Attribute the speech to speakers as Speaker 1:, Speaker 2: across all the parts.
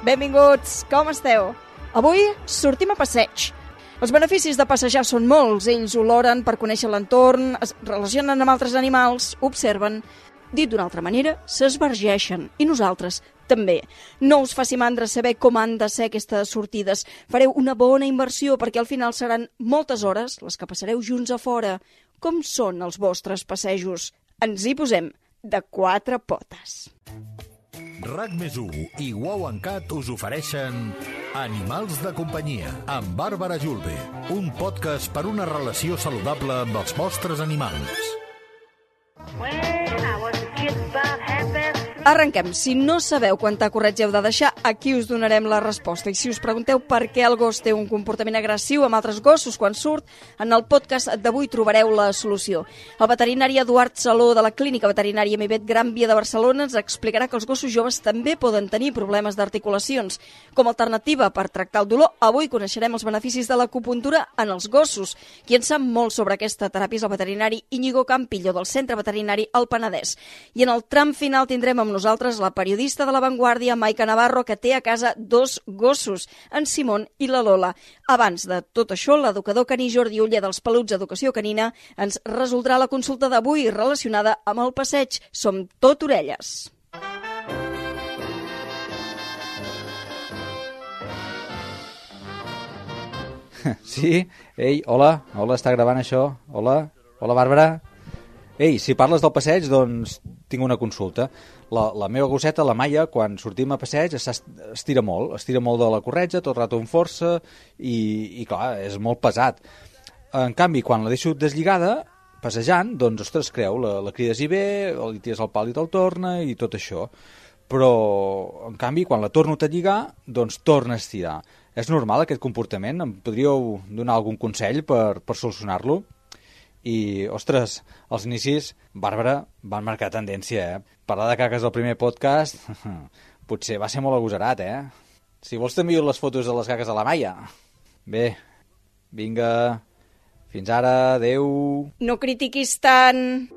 Speaker 1: Benvinguts, com esteu? Avui sortim a passeig. Els beneficis de passejar són molts. Ells oloren per conèixer l'entorn, es relacionen amb altres animals, observen. Dit d'una altra manera, s'esbargeixen. I nosaltres també. No us faci mandra saber com han de ser aquestes sortides. Fareu una bona inversió perquè al final seran moltes hores les que passareu junts a fora. Com són els vostres passejos? Ens hi posem de 4 potes.
Speaker 2: RAC+1 i Wow en Cat us ofereixen Animals de companyia amb Bàrbara Julve, un podcast per una relació saludable amb els vostres animals.
Speaker 1: Arrenquem. Si no sabeu quanta corretja heu de deixar, aquí us donarem la resposta. I si us pregunteu per què el gos té un comportament agressiu amb altres gossos quan surt, en el podcast d'avui trobareu la solució. El veterinari Eduard Saló de la Clínica Veterinària Mivet Gran Via de Barcelona ens explicarà que els gossos joves també poden tenir problemes d'articulacions. Com a alternativa per tractar el dolor, avui coneixerem els beneficis de l'acupuntura en els gossos. Qui en sap molt sobre aquesta teràpia és el veterinari Íñigo Campillo del Centre Veterinari El Penedès. I en el tram final tindrem amb nosaltres la periodista de La Vanguardia, Maica Navarro, que té a casa 2 gossos, en Simón i la Lola. Abans de tot això, l'educador caní Jordi Oller dels Peluts Educació Canina ens resoldrà la consulta d'avui relacionada amb el passeig. Som tot orelles.
Speaker 3: Sí? Ei, hola, està gravant això? Hola, Bàrbara? Ei, si parles del passeig, doncs tinc una consulta. La meva gosseta, la Maia, quan sortim a passeig, estira molt de la corretja, tot el rato amb força, i clar, és molt pesat. En canvi, quan la deixo deslligada, passejant, doncs, ostres, creu, la crides i bé, li tires el pal i te'l torna, i tot això. Però, en canvi, quan la torno a lligar, doncs torna a estirar. És normal aquest comportament? Em podríeu donar algun consell per solucionar-lo? I, ostres, els inicis, Bàrbara, van marcar tendència, Parlar de caques al primer podcast, potser va ser molt agosarat, Si vols t'envio les fotos de les caques de la Maia. Bé, vinga, fins ara, adeu.
Speaker 1: No critiquis tant.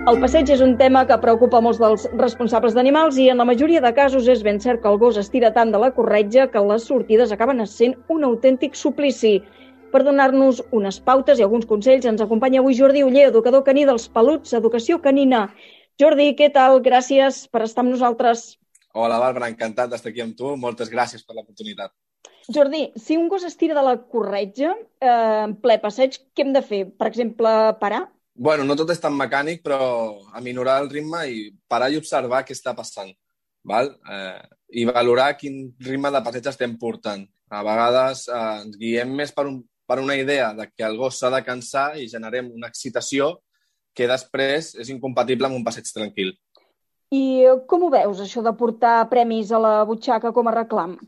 Speaker 1: El passeig és un tema que preocupa molts dels responsables d'animals i en la majoria de casos és ben cert que el gos estira tant de la corretja que les sortides acaben sent un autèntic suplici. Per donar-nos unes pautes i alguns consells ens acompanya avui Jordi Oller, educador caní dels Peluts Educació Canina. Jordi, què tal? Gràcies per estar amb nosaltres.
Speaker 4: Hola, Bàrbara, encantat d'estar aquí amb tu. Moltes gràcies per l'oportunitat.
Speaker 1: Jordi, si un gos estira de la corretja en ple passeig, què hem de fer? Per exemple, parar?
Speaker 4: Bueno, no tot és tan mecànic, però aminorar el ritme i parar i observar què està passant. Val? I valorar quin ritme de passeig estem portant. A vegades ens guiem més per una idea de que el gos s'ha de cansar i generem una excitació que després és incompatible amb un passeig tranquil.
Speaker 1: I com ho veus, això de portar premis a la butxaca com a reclam?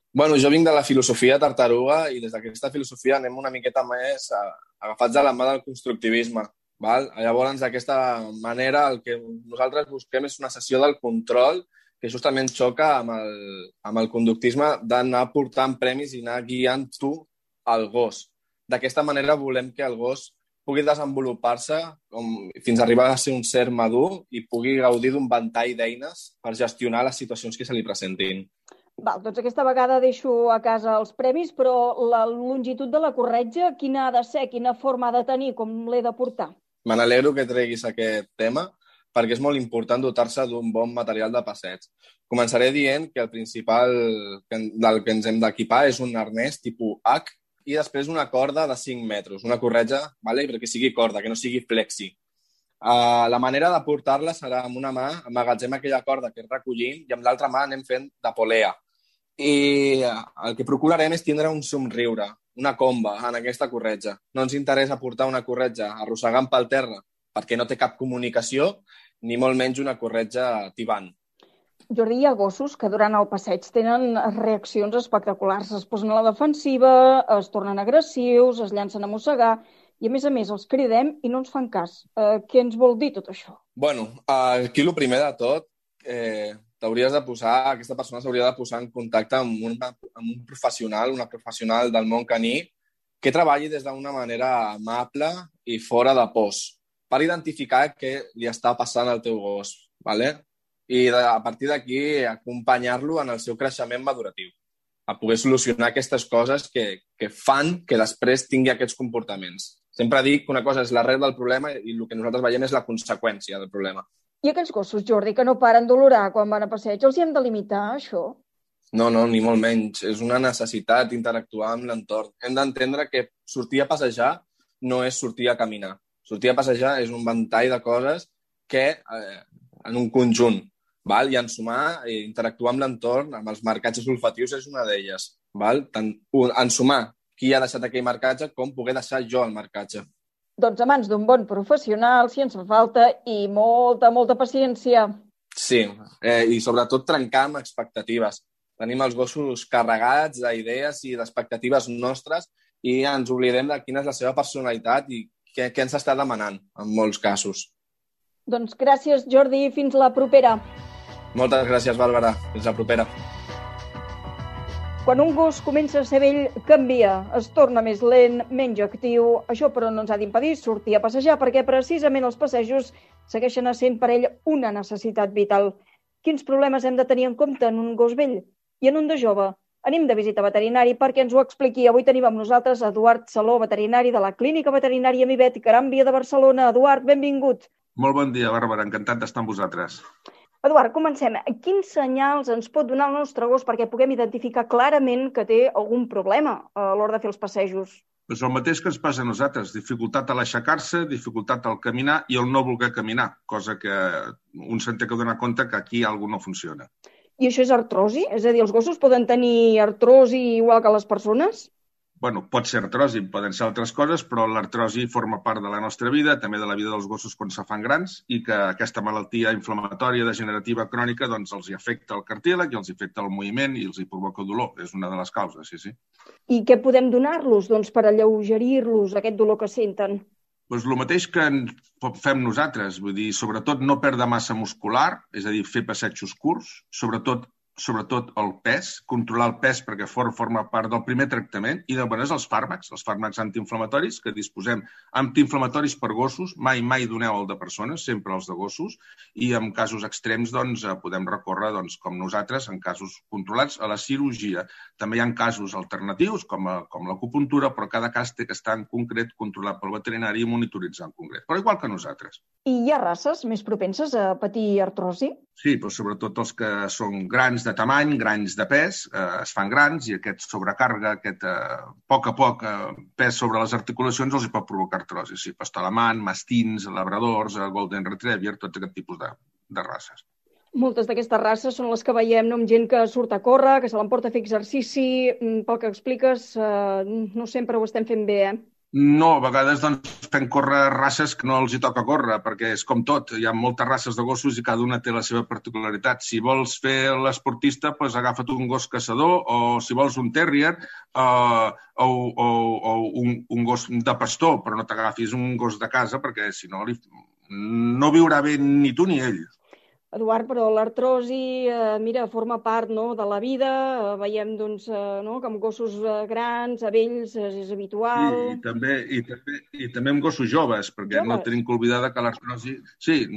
Speaker 4: Bueno, jo vinc de la filosofia tartaruga i des d'aquesta filosofia anem una miqueta més agafats de la mà del constructivisme. Val? Llavors, d'aquesta manera, el que nosaltres busquem és una sessió del control que justament xoca amb el conductisme d'anar portant premis i anar guiant tu al gos. D'aquesta manera volem que el gos pugui desenvolupar-se fins a arribar a ser un ser madur i pugui gaudir d'un ventall d'eines per gestionar les situacions que se li presentin.
Speaker 1: Val, doncs aquesta vegada deixo a casa els premis, però la longitud de la corretja, quina ha de ser, quina forma ha de tenir, com l'he de portar?
Speaker 4: Me n'alegro que treguis aquest tema perquè és molt important dotar-se d'un bon material de passeig. Començaré dient que el principal del que ens hem d'equipar és un arnès tipus H i després una corda de 5 metres, una corretja, vale? Perquè sigui corda, que no sigui flexi. La manera de portar-la serà amb una mà, amagatzem aquella corda que és recollint i amb l'altra mà anem fent de polea. I el que procurarem és tindre un somriure, una comba en aquesta corretja. No ens interessa portar una corretja arrossegant pel terra perquè no té cap comunicació, ni molt menys una corretja tibant.
Speaker 1: Jordi, hi ha gossos que durant el passeig tenen reaccions espectaculars. Es posen a la defensiva, es tornen agressius, es llancen a mossegar i, a més, els cridem i no ens fan cas. Què ens vol dir tot això?
Speaker 4: Bueno, aquí el primer de tot, aquesta persona s'hauria de posar en contacte amb un professional, una professional del món caní que treballi des d'una manera amable i fora de pors per identificar què li està passant al teu gos. ¿Vale? i a partir d'aquí acompanyar-lo en el seu creixement maduratiu, a poder solucionar aquestes coses que fan que després tingui aquests comportaments. Sempre dic que una cosa és l'arrel del problema i el que nosaltres veiem és la conseqüència del problema.
Speaker 1: I aquells gossos, Jordi, que no paren d'olorar quan van a passeig, els hi hem de limitar, això?
Speaker 4: No, ni molt menys. És una necessitat interactuar amb l'entorn. Hem d'entendre que sortir a passejar no és sortir a caminar. Sortir a passejar és un ventall de coses que en un conjunt, val? I ensumar i interactuar amb l'entorn, amb els marcatges olfatius és una d'elles. Val? Tant ensumar qui ha deixat aquell marcatge com poder deixar jo el marcatge.
Speaker 1: Doncs a mans d'un bon professional, si ens fa falta, i molta paciència.
Speaker 4: Sí, i sobretot trencar amb expectatives. Tenim els gossos carregats d'idees i d'expectatives nostres i ens oblidem de quina és la seva personalitat i què ens està demanant en molts casos.
Speaker 1: Doncs gràcies, Jordi, fins la propera.
Speaker 4: Moltes gràcies, Bàrbara. Fins la propera.
Speaker 1: Quan un gos comença a ser vell, canvia, es torna més lent, menys actiu. Això, però, no ens ha d'impedir sortir a passejar, perquè precisament els passejos segueixen essent per ell una necessitat vital. Quins problemes hem de tenir en compte en un gos vell? I en un de jove? Anem de visita veterinari perquè ens ho expliqui. Avui tenim amb nosaltres Eduard Saló, veterinari de la Clínica Veterinària Mivet, Gran Via de Barcelona. Eduard, benvingut.
Speaker 5: Molt bon dia, Bàrbara. Encantat d'estar amb vosaltres.
Speaker 1: Eduard, comencem. Quins senyals ens pot donar el nostre gos perquè puguem identificar clarament que té algun problema a l'hora de fer els passejos?
Speaker 5: Doncs el mateix que ens passa a nosaltres, dificultat a l'aixecar-se, dificultat al caminar i el no voler caminar, cosa que un se'n té que donar compte que aquí alguna no funciona.
Speaker 1: I això és artrosi? És a dir, els gossos poden tenir artrosi igual que les persones?
Speaker 5: Bueno, pot ser artrosi, poden ser altres coses, però l'artrosi forma part de la nostra vida, també de la vida dels gossos quan se fan grans, i que aquesta malaltia inflamatòria degenerativa crònica doncs, els hi afecta el cartílag i els hi afecta el moviment i els hi provoca dolor. És una de les causes, sí.
Speaker 1: I què podem donar-los per alleugerir-los aquest dolor que senten?
Speaker 5: Doncs el mateix que fem nosaltres, vull dir, sobretot no perdre massa muscular, és a dir, fer passejos curts, sobretot el pes, controlar el pes perquè forma part del primer tractament i després els fàrmacs antiinflamatoris que disposem. Antiinflamatoris per gossos, mai doneu el de persones, sempre els de gossos, i en casos extrems podem recórrer, com nosaltres, en casos controlats, a la cirurgia. També hi ha casos alternatius, com l'acupuntura, però cada cas té que estar en concret controlat pel veterinari i monitoritzar en concret, però igual que nosaltres.
Speaker 1: I hi ha races més propenses a patir artrosi?
Speaker 5: Sí, però sobretot els que són grans de tamany, grans de pes, es fan grans i aquest sobrecàrrega, aquest poc a poc pes sobre les articulacions els hi pot provocar artrosi. Sí, pastor alemany, mastins, labradors, golden retriever, tot aquest tipus de races.
Speaker 1: Moltes d'aquestes races són les que veiem amb gent que surt a córrer, que se l'emporta a fer exercici. Pel que expliques, no sempre ho estem fent bé,
Speaker 5: No, a vegades fem córrer races que no els hi toca córrer, perquè és com tot. Hi ha moltes races de gossos i cada una té la seva particularitat. Si vols fer l'esportista, agafa't un gos caçador, o si vols un terrier, o un gos de pastor, però no t'agafis un gos de casa, perquè si no, no viurà bé ni tu ni ell.
Speaker 1: Eduard, però l'artrosi, forma part de la vida. Veiem que amb gossos grans, a vells, és habitual.
Speaker 5: Sí, i també amb gossos joves, perquè no tenim que oblidar que l'artrosi... Sí,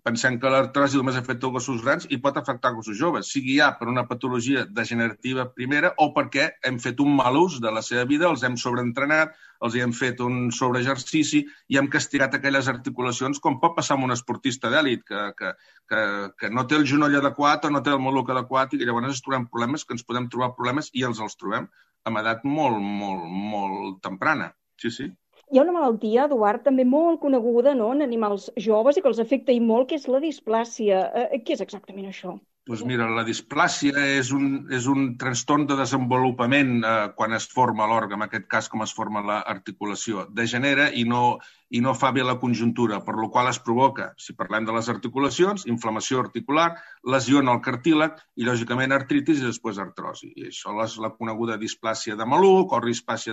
Speaker 5: pensem que l'artrosi només afecta gossos grans i pot afectar gossos joves, sigui ja per una patologia degenerativa primera o perquè hem fet un mal ús de la seva vida, els hem sobreentrenat, els hi hem fet un sobreexercici i hem castigat aquelles articulacions, com pot passar amb un esportista d'èlit, que no té el genoll adequat o no té el maluc adequat i llavors ens trobem problemes, que ens podem trobar problemes i els trobem amb edat molt temprana. Sí.
Speaker 1: Hi ha una malaltia, Eduard, també molt coneguda en animals joves i que els afecta i molt, que és la displàsia. Què és exactament això?
Speaker 5: Doncs mira, la displàsia és un trastorn de desenvolupament quan es forma l'òrgan, en aquest cas com es forma l'articulació. Degenera i no fa bé la conjuntura, per la qual es provoca, si parlem de les articulacions, inflamació articular, lesió en el cartílag i, lògicament, artritis i després artrosi. I això és la coneguda displàsia de maluc o displàsia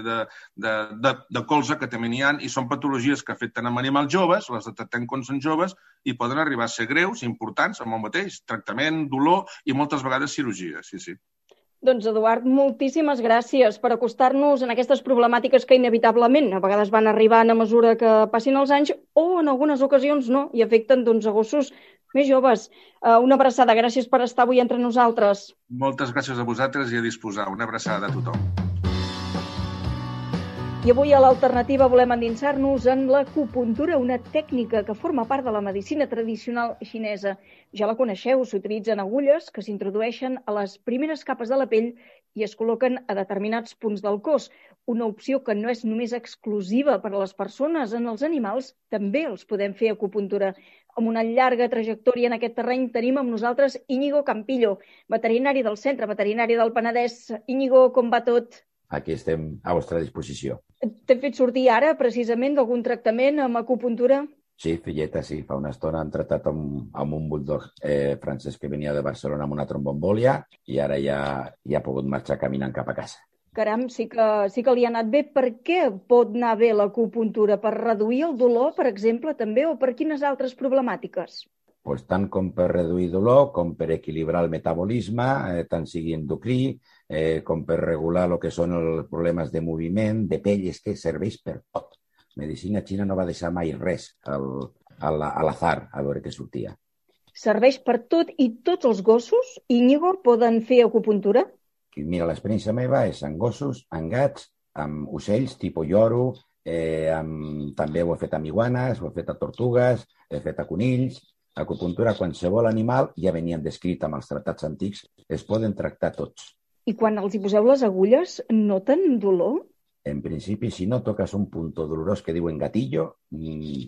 Speaker 5: de colze, que també n'hi ha, i són patologies que afecten amb animals joves, les detectem quan són joves, i poden arribar a ser greus, importants, amb el mateix tractament, dolor i moltes vegades cirurgia, sí.
Speaker 1: Doncs, Eduard, moltíssimes gràcies per acostar-nos en aquestes problemàtiques que inevitablement a vegades van arribant a mesura que passin els anys o en algunes ocasions no i afecten a gossos més joves. Una abraçada, gràcies per estar avui entre nosaltres.
Speaker 5: Moltes gràcies a vosaltres i a disposar. Una abraçada a tothom.
Speaker 1: I avui a l'Alternativa volem endinsar-nos en l'acupuntura, una tècnica que forma part de la medicina tradicional xinesa. Ja la coneixeu, s'utilitzen agulles que s'introdueixen a les primeres capes de la pell i es col·loquen a determinats punts del cos. Una opció que no és només exclusiva per a les persones, en els animals també els podem fer acupuntura. Amb una llarga trajectòria en aquest terreny tenim amb nosaltres Íñigo Campillo, veterinari del Centre Veterinari del Penedès. Íñigo, com va tot?
Speaker 6: Aquí estem a vostra disposició.
Speaker 1: T'hem fet sortir ara, precisament, d'algun tractament amb acupuntura?
Speaker 6: Sí, filleta, sí. Fa una estona hem tractat amb un bulldog francès que venia de Barcelona amb una tromboembòlia i ara ja ha pogut marxar caminant cap a casa.
Speaker 1: Caram, sí que li ha anat bé. Per què pot anar bé l'acupuntura? Per reduir el dolor, per exemple, també? O per quines altres problemàtiques?
Speaker 6: Pues tant com per reduir dolor, com per equilibrar el metabolisme, tant sigui endocrí, com per regular el que són els problemes de moviment, de pell, és que serveix per tot. Medicina xina no va deixar mai res a l'azar, a veure què sortia.
Speaker 1: Serveix per tot i tots els gossos, Íñigo, poden fer acupuntura?
Speaker 6: Mira, l'experiència meva és amb gossos, amb gats, amb ocells, tipus lloro, també ho he fet amb iguanes, ho he fet a tortugues, he fet a conills. Acupuntura, qualsevol animal, ja venien descrit amb els tractats antics, es poden tractar tots.
Speaker 1: I quan els hi poseu les agulles, noten dolor?
Speaker 6: En principi, si no toques un punt dolorós que diuen gatillo,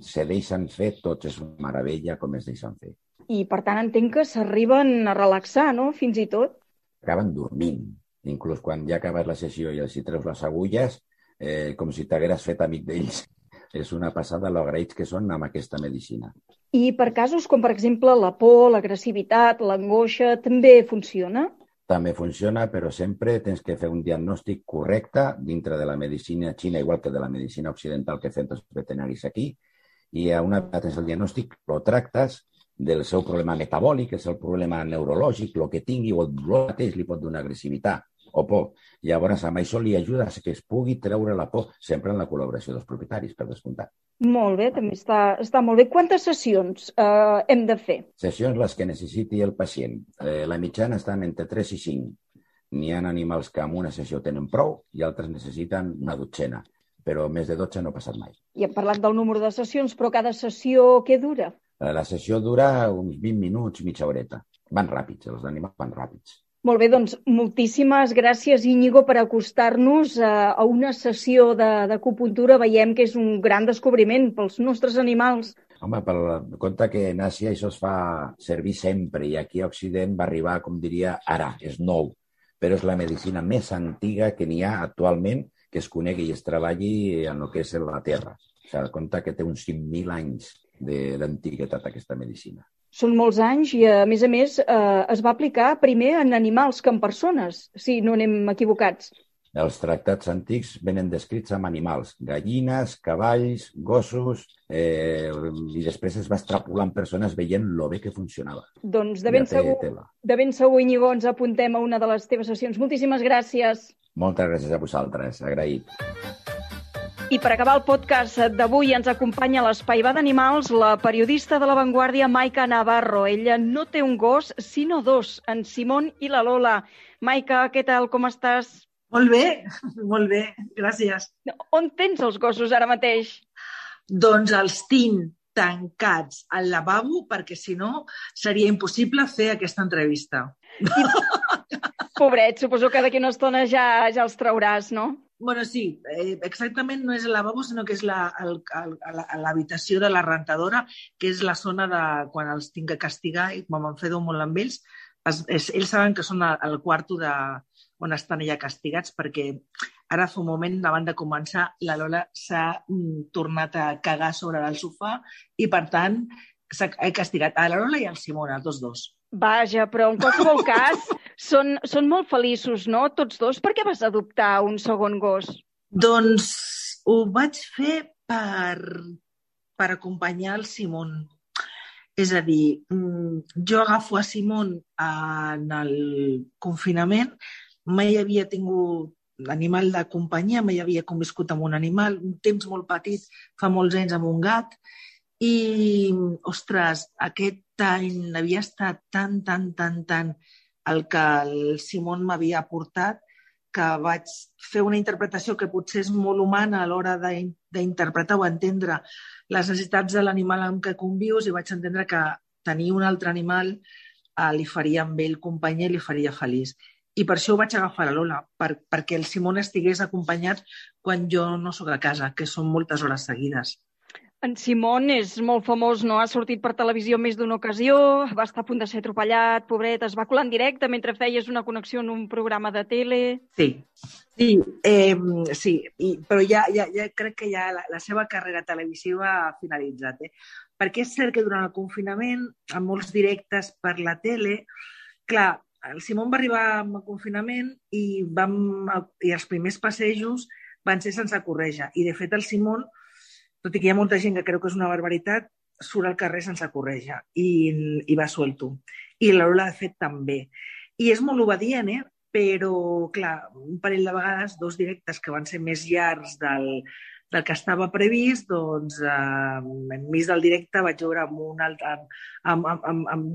Speaker 6: se deixen fer tots, és una meravella com es deixen fer.
Speaker 1: I per tant entenc que s'arriben a relaxar, no?, fins i tot?
Speaker 6: Acaben dormint. Inclús quan ja acabes la sessió i els hi treus les agulles, com si t'hagueres fet amic d'ells. És una passada lo agraïts que són amb aquesta medicina.
Speaker 1: I per casos com, per exemple, la por, l'agressivitat, l'angoixa, també funciona?
Speaker 6: També funciona, però sempre tens que fer un diagnòstic correcte dintre de la medicina xina, igual que de la medicina occidental que fem els veterinaris aquí, i una vegada tens el diagnòstic, lo tractes del seu problema metabòlic, és el problema neurològic, el que tingui, o el dolor mateix li pot donar agressivitat o por. Llavors, amb això li ajuda a que es pugui treure la por, sempre en la col·laboració dels propietaris, per descomptat.
Speaker 1: Molt bé, també està molt bé. Quantes sessions hem de fer?
Speaker 6: Sessions les que necessiti el pacient. La mitjana estan entre 3 i 5. N'hi ha animals que amb una sessió tenen prou i altres necessiten una dotzena, però més de 12 no ha passat mai.
Speaker 1: I hem parlat del número de sessions, però cada sessió què dura?
Speaker 6: La sessió dura uns 20 minuts, mitja horeta. Van ràpids, els animals van ràpids.
Speaker 1: Molt bé, doncs moltíssimes gràcies, Íñigo, per acostar-nos a una sessió d'acupuntura. Veiem que és un gran descobriment pels nostres animals.
Speaker 6: Home, per compte que en Àsia això es fa servir sempre i aquí a Occident va arribar, com diria, ara, és nou. Però és la medicina més antiga que n'hi ha actualment que es conegui i es treballi en el que és la Terra. O sigui, compte que té uns 5.000 anys d'antiguitat aquesta medicina.
Speaker 1: Són molts anys i, a més, es va aplicar primer en animals que en persones, si no anem equivocats.
Speaker 6: Els tractats antics venen descrits amb animals, gallines, cavalls, gossos, i després es va extrapolar en persones veient lo bé que funcionava.
Speaker 1: Doncs de ben segur, Íñigo, ens apuntem a una de les teves sessions. Moltíssimes gràcies.
Speaker 6: Moltes gràcies a vosaltres, agraït.
Speaker 1: I per acabar el podcast d'avui ens acompanya a l'Espai Va d'Animals la periodista de La Vanguardia, Maika Navarro. Ella no té un gos, sinó dos, en Simón i la Lola. Maika, què tal, com estàs?
Speaker 7: Molt bé, gràcies.
Speaker 1: On tens els gossos ara mateix?
Speaker 7: Doncs els tinc tancats al lavabo perquè si no seria impossible fer aquesta entrevista.
Speaker 1: Pobret, suposo que d'aquí una estona ja els trauràs, no?
Speaker 7: Bueno, sí, exactament no és el lavabo, sinó que és l'habitació de la rentadora, que és la zona de quan els tinc que castigar i quan m'enfedo molt amb ells. Ells saben que són al quarto on estan ja castigats, perquè ara fa un moment, abans de començar, la Lola s'ha tornat a cagar sobre el sofà i, per tant, he castigat a la Lola i al Simón, els dos.
Speaker 1: Vaja, però en qualsevol cas són molt feliços, no? Tots dos. Per què vas adoptar un segon gos?
Speaker 7: Doncs ho vaig fer per acompanyar el Simón. És a dir, jo agafo a Simón en el confinament mai havia tingut animal de companyia, mai havia conviscut amb un animal, un temps molt petit, fa molts anys amb un gat, i, ostres, aquest any havia estat tan el que el Simon m'havia aportat que vaig fer una interpretació que potser és molt humana a l'hora d'interpretar o entendre les necessitats de l'animal amb què convius, i vaig entendre que tenir un altre animal li faria amb ell companyia i li faria feliç. I per això ho vaig agafar a Lola, perquè el Simon estigués acompanyat quan jo no sóc a casa, que són moltes hores seguides.
Speaker 1: En Simon és molt famós, no? Ha sortit per televisió més d'una ocasió, va estar a punt de ser atropellat, pobret, es va colar en directe mentre feies una connexió en un programa de tele.
Speaker 7: Sí, però ja crec que ja la seva carrera televisiva ha finalitzat, perquè és cert que durant el confinament, amb molts directes per la tele, clar, el Simon va arribar amb el confinament i els primers passejos van ser sense corretja. I, de fet, el Simon, tot i que hi ha molta gent que creu que és una barbaritat, surt al carrer sense corretja i va suelto. I la Lola, de fet, també. I és molt obedient, però, clar, un parell de vegades, 2 directes que van ser més llargs del que estava previst, doncs, enmig del directe vaig veure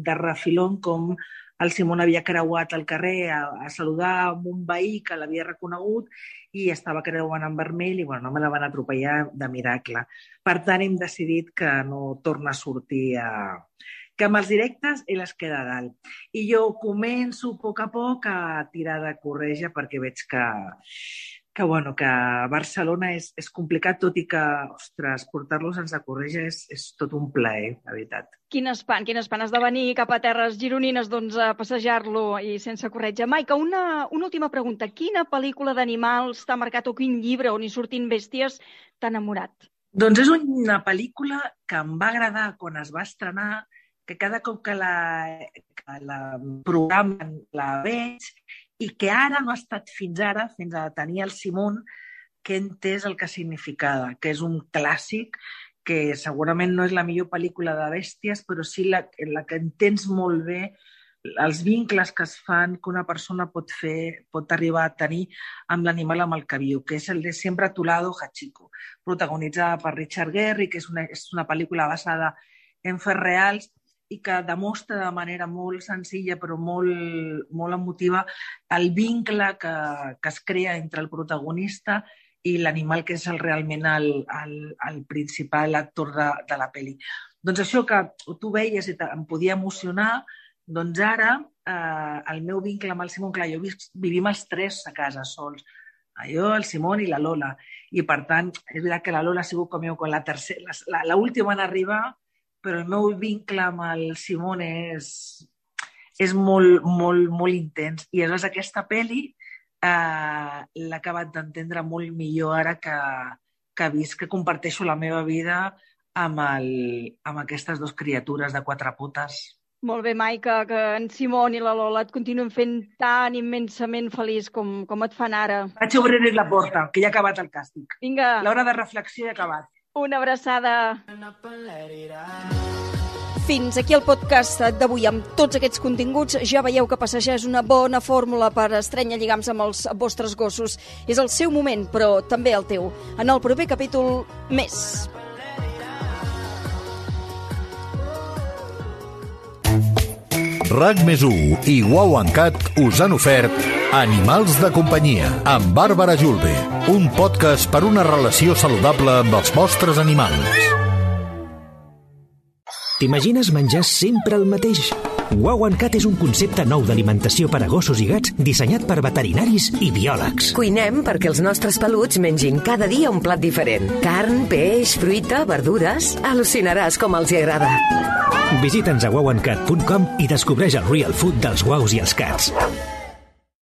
Speaker 7: de refilón com el Simon havia creuat el carrer a saludar amb un veí que l'havia reconegut i estava creuant en vermell i no me la van atropellar de miracle. Per tant, hem decidit que no torna a sortir que amb els directes ell es queda a dalt. I jo començo a poc a tirar de corretja perquè veig que Barcelona és complicat, tot i que, ostres, portar-lo sense corretja és tot un plaer, la veritat.
Speaker 1: Quin espant has de venir cap a terres gironines a passejar-lo i sense corretja. Maica, una última pregunta. Quina pel·lícula d'animals t'ha marcat o quin llibre on hi surtin bèsties t'ha enamorat?
Speaker 7: Doncs és una pel·lícula que em va agradar quan es va estrenar, que cada cop que la programen la veig, i que ara no ha estat fins a tenir el Simon, que he entès el que significava, que és un clàssic, que segurament no és la millor pel·lícula de bèsties, però sí la que entens molt bé els vincles que es fan, que una persona pot arribar a tenir amb l'animal amb el que viu, que és el de Siempre a tu lado, Hachiko, protagonitzada per Richard Gere, que és una pel·lícula basada en fets reals, i que demostra de manera molt senzilla però molt emotiva el vincle que es crea entre el protagonista i l'animal, que és realment el principal actor de la pel·li. Doncs això que tu veies i em podia emocionar, doncs ara el meu vincle amb el Simon, clar, vivim els 3 a casa sols, jo, el Simon i la Lola, i per tant és veritat que la Lola ha sigut com l'última en arribar, però el meu vincle amb el Simon és molt intens. I aleshores aquesta pel·li l'he acabat d'entendre molt millor ara que he vist que comparteixo la meva vida amb aquestes 2 criatures de 4 potes.
Speaker 1: Molt bé, Maica, que en Simon i la Lola et continuen fent tan immensament feliç com et fan ara.
Speaker 7: Vaig obrir la porta, que ja ha acabat el càstig.
Speaker 1: Vinga.
Speaker 7: L'hora de reflexió ja ha acabat.
Speaker 1: Una abraçada. Fins aquí el podcast d'avui. Amb tots aquests continguts ja veieu que passejar és una bona fórmula per estrènyer lligams amb els vostres gossos. És el seu moment, però també el teu. En el proper capítol, més.
Speaker 2: RAC+1 i Wow and Cat us han ofert Animals de companyia amb Bàrbara Julve, un podcast per una relació saludable amb els vostres animals.
Speaker 8: T'imagines menjar sempre el mateix? Wow and Cat és un concepte nou d'alimentació per a gossos i gats dissenyat per veterinaris i biòlegs.
Speaker 9: Cuinem perquè els nostres peluts mengin cada dia un plat diferent. Carn, peix, fruita, verdures... Al·lucinaràs com els hi agrada.
Speaker 8: Visita'ns a wowandcat.com i descobreix el real food dels guaus i els cats.